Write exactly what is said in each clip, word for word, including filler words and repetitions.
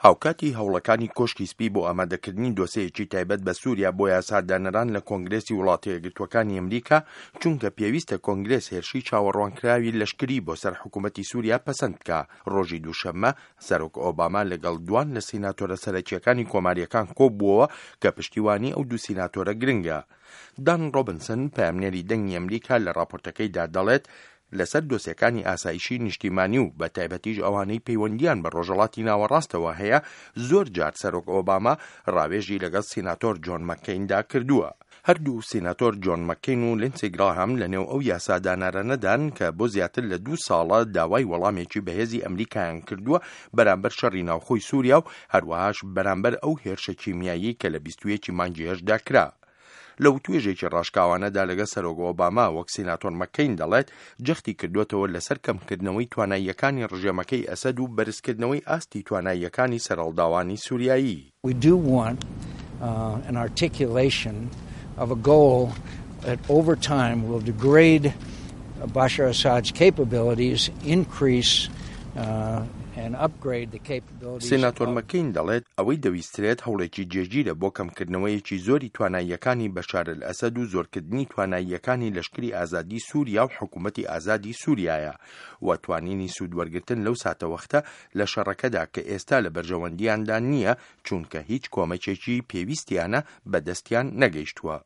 هاوکاتی هەوڵەکانی کۆشکی سپی بۆ ئامادەکردنی دۆسێیەکی تایبەت بە سووریا بۆ یاسادانەران لە کۆنگرێسی وڵاتە یەکگرتووەکانی ئەمریکا، چونکە پێویستە کۆنگرێس هێرشی چاوەڕوانکراوی لەشکری بۆ سەر حکوومەتی سووریا پەسەند بکا، ڕۆژی دووشەممە سەرۆک ئۆباما لەگەڵ دوان لە سیناتۆرە سەرەکییەکانی کۆمارییەکان کۆبووەوە کە پشتیوانی ئەو دوو سیناتۆرە گرنگە. دان ڕۆبنسن، پەیامنێری دەنگی ئەمریکا لە ڕاپۆرتەکەیدا دەڵێت، لەسەر دۆسیەکانی ئاسایشی نیشتیمانی و بە تایبەتیش ئەوانەی پەیوەندیان بە ڕۆژهەڵاتی ناوەڕاستەوە هەیە، زۆر جار سەرۆک ئۆباما ڕاوێژی لەگەڵ سیناتۆر جۆن مەککەیندا کردووە. هەردوو سیناتۆر جۆن مەککەین و لینسی گراهام لەنێو ئەو یاسادانەرانەدان کە بۆ زیاتر لە دوو ساڵە داوای وەڵامێکی بەهێزی ئەمریکایان کردووە بەرامبەر شەڕی ناوخۆی سووریا و هەروەهاش بەرامبەر ئەو هێرشە کیمیاییەی کە لە بیست و یەک مانگی هەشتدا کرا. لە وتوێژێکی ڕاشکاوانەدا لەگەڵ سەرۆک ئۆباما وەک سیناتۆر مەککەین دەڵێت، جەختی کردووەتەوە لەسەر کەمکردنەوەی تواناییەکانی ڕژێمەکەی ئەسەد و بەرزکردنەوەی ئاستی تواناییەکانی سەرهەڵداوانی سووریایی. We do want an articulation of a goal that over time will degrade Bashar Assad's capabilities, increase سیناتۆر مەککەین دەڵێت، ئەوەی دەویسترێت هەوڵێکی جێگیرە بۆ کەمکردنەوەیەکی زۆری تواناییەکانی بەشار ئەلئەسەد و زۆرکردنی تواناییەکانی لەشکری ئازادی سووریا و حکوومەتی ئازادی سووریایە و توانینی سوودوەرگرتن لەو ساتەوەختە لە شەڕەکەدا کە ئێستا لە بەرژەوەندیاندا نییە، چونکە هیچ کۆمەکێکی پێویستیانە بەدەستیان نەگەیشتووە.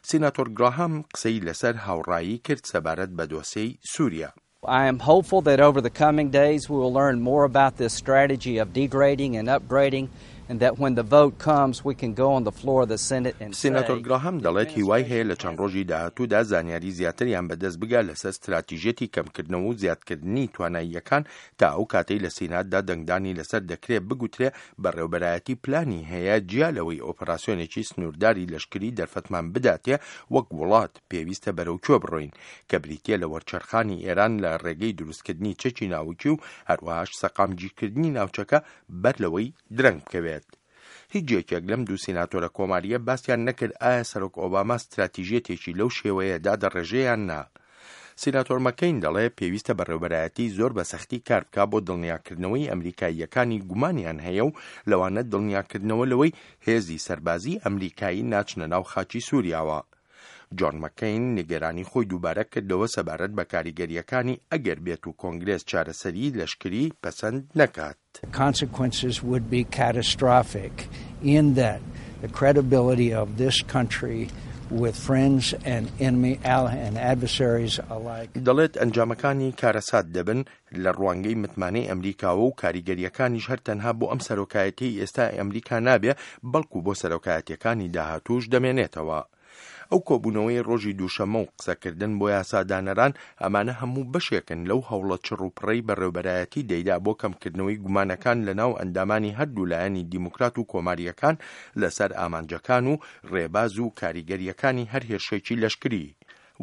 سیناتۆر گراهام قسەی لەسەر هاوڕایی کرد سەبارەت بە دۆسێی سووریا. I am hopeful that over the coming days we will learn more about this strategy of degrading and upgrading and that when the vote comes we can go on the floor of the Senate and say سیناتۆر گراهام دەڵێت هیوای هەیە لە چەند ڕۆژی داهاتوودا زانیاری زیاتریان بەدەست بگا لەسەر ستراتیژیەتی کەمکردنەوە و زیادکردنی تواناییەکان تا ئەو کاتەی لە سیناتدا دەنگدانی لەسەر دەکرێت بگوترێ بەڕێوبەرایەتی پلانی هەیە جیا لەوەی ئۆپەراسیۆنێکی سنوورداری لەشکری دەرفەتمان بداتێ وەک وڵات پێویستە بەرەو کوێ بڕۆین کە بریتیە لە وەرچەرخانی ئێران لە ڕێگەی دروستکردنی چەکی ناوکی و هەروەهاش سەقامگیرکردنی ناوچەکە بەر لەوەی درەنگ بکەوێت. هیچ یەکێک لەم دوو سیناتۆرە کۆماریە باسیان نەکرد ئایا سەرۆک ئۆباما ستراتیژیەتێکی لەو شێوەیە دادەڕێژێ یان نا. سیناتۆر مەکەین دەڵێ پێویستە بەڕێوبەرایەتی زۆر بە سەختی کار بکا بۆ دڵنیاکردنەوەی ئەمریکاییەکانی گومانیان هەیە و لەوانە دڵنیاکردنەوە لەوەی هێزی سەربازی ئەمریکایی ناچنە ناو خاکی سووریاوە. جۆن مەکەین نیگەرانی خۆی دووبارە کردەوە سەبارەت بە کاریگەریەکانی ئەگەر بێت و کۆنگرێس چارەسەری لەشکری پەسەند نەکات. The consequences would be catastrophic in that the credibility of this country with friends and enemy and adversaries alike. دەڵێت ئەنجامەکانی کارەسات دەبن لە ڕوانگەی متمانەی ئەمریکاوە و کاریگەریەکانیش هەر تەنها بۆ ئەم سەرۆکایەتی ئێستا ئەمریکا نابێ، بەڵکو بۆ سەرۆکایەتیەکانی داهاتووش دەمێنێتەوە. ئەو کۆبوونەوەی ڕۆژی دووشەممە و قسەکردن بۆ یاسادانەران ئەمانە هەموو بەشێکن لەو هەوڵە چڕ و پڕەی بەڕێوبەرایەتی دەیدا بۆ کەمکردنەوەی گومانەکان لە ناو ئەندامانی هەردوو لایەنی دیموکرات و کۆماریەکان لەسەر ئامانجەکان و ڕێباز و کاریگەریەکانی هەر هێرشێکی لەشکری.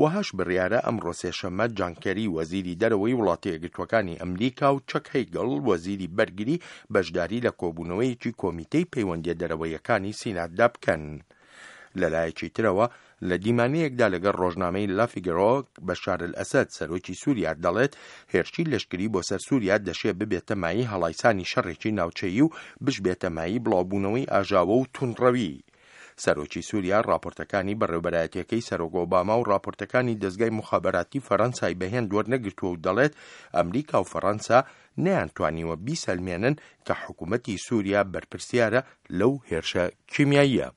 وەهاش بڕیارە ئەمڕۆ سێشەممە جان کێری وەزیری دەرەوەی وڵاتە یەکگرتووەکانی ئەمریکا و چەک هەیگڵ وەزیری بەرگری بەشداری لە کۆبوونەوەیەکی کۆمیتەی پەیوەندیە دەرەوەیەکانی سیناتدا بکەن. لەلایەکی ترەوە لە دیمانەیەکدا لەگەڵ ڕۆژنامەی لافیگەرۆ بەشار ئەلئەسەد سەرۆکی سووریا دەڵێت هێرشی لەشکری بۆ سەر سووریا دەشێ ببێتە مایەی هەڵایسانی شەڕێکی ناوچەیی و بشبێتە مایەی بڵاوبوونەوەی ئاژاوە و توندڕەوی. سەرۆکی سووریا راپۆرتەکانی بەڕێوبەرایەتیەکەی سەرۆک ئۆباما و راپۆرتەکانی دەزگای موخابەراتی فەرەنسای بەهێند وەرنەگرتووە و دەڵێت ئەمریکا و فەرەنسا نەیانتوانیوە بیسەلمێنن کە حکوومەتی سووریا بەرپرسیارە لەو هێرشە کیمیاییە.